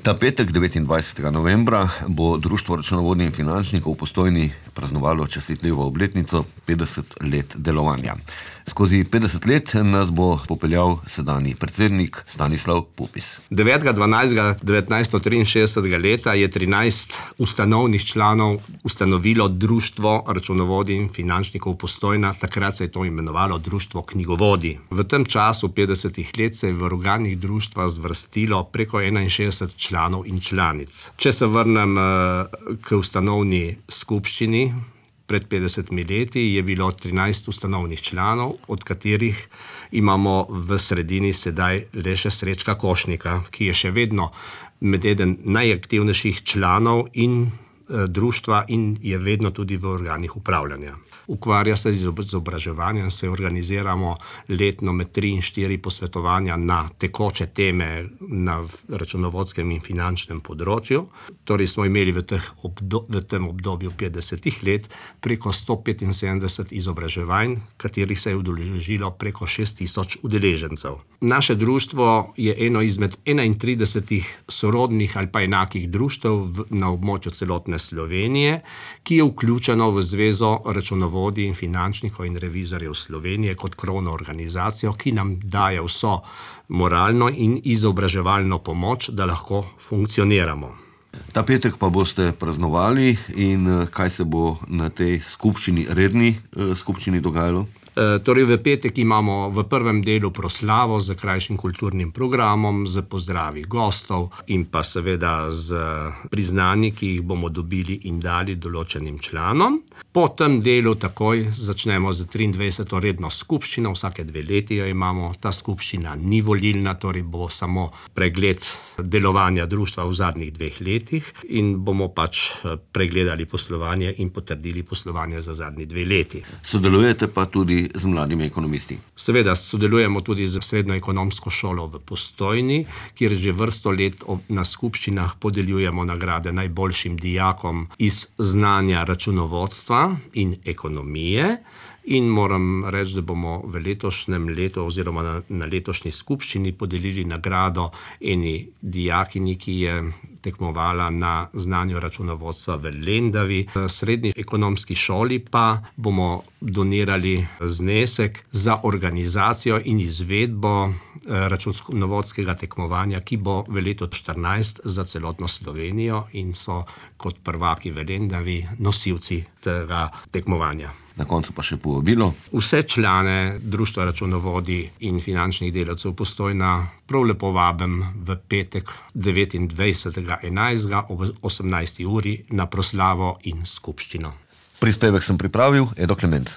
Ta petek, 29. novembra, bo Društvo računovodij in finančnikov v Postojni praznovalo častitljivo obletnico 50 let delovanja. Skozi 50 let nas bo popeljal sedanji predsednik Stanislav Pupis. 9.12.1963 leta je 13 ustanovnih članov ustanovilo Društvo računovodij in finančnikov Postojna, takrat se je to imenovalo Društvo knjigovodij. V tem času 50 let se je v organih društva zvrstilo preko 61 članov in članic. Če se vrnem k ustanovni skupščini, pred 50 leti je bilo 13 ustanovnih članov, od katerih imamo v sredini sedaj le še Srečka Košnika, ki je še vedno med eden najaktivnejših članov in društva in je vedno tudi v organih upravljanja. Ukvarja se z izobraževanjem, se organiziramo letno med 3 in 4 posvetovanja na tekoče teme na računovodskem in finančnem področju. Torej smo imeli v tem obdobju 50 let preko 175 izobraževanj, katerih se je udeležilo preko 6000 udeležencev. Naše društvo je eno izmed 31 sorodnih ali pa enakih društev na območju celotne Slovenije, ki je vključeno v Zvezo računovodij in finančnikov in revizorjev Slovenije kot krovno organizacijo, ki nam daje vso moralno in izobraževalno pomoč, da lahko funkcioniramo. Ta petek pa boste praznovali in kaj se bo na tej redni skupščini dogajalo? Torej v petek imamo v prvem delu proslavo z krajšim kulturnim programom, z pozdravi gostov in pa seveda z priznanji, ki jih bomo dobili in dali določenim članom. Po tem delu takoj začnemo z 23. redno skupščino, vsake 2 leti jo imamo. Ta skupščina ni volilna, torej bo samo pregled delovanja društva v zadnjih 2 letih in bomo pregledali poslovanje in potrdili poslovanje za zadnji 2 leti. Sodelujete pa tudi z mladimi ekonomisti. Seveda sodelujemo tudi z Srednjo ekonomsko šolo v Postojni, kjer že vrsto let na skupščinah podeljujemo nagrade najboljšim dijakom iz znanja računovodstva in ekonomije. In moram reči, da bomo v letošnjem letu oziroma na letošnji skupščini podelili nagrado eni dijakinji, ki je tekmovala na znanju računovodstva v Lendavi. V Srednji ekonomski šoli pa bomo donirali znesek za organizacijo in izvedbo računovodskega tekmovanja, ki bo v letu 2014 za celotno Slovenijo in so kot prvaki v Lendavi nosilci tega tekmovanja. Na koncu pa še povabilo. Vse člane Društva računovodij in finančnih delavcev Postojna prav lepo vabim v petek 29.11. ob 18. uri na proslavo in skupščino. Prispevek sem pripravil, Edo Klemenc.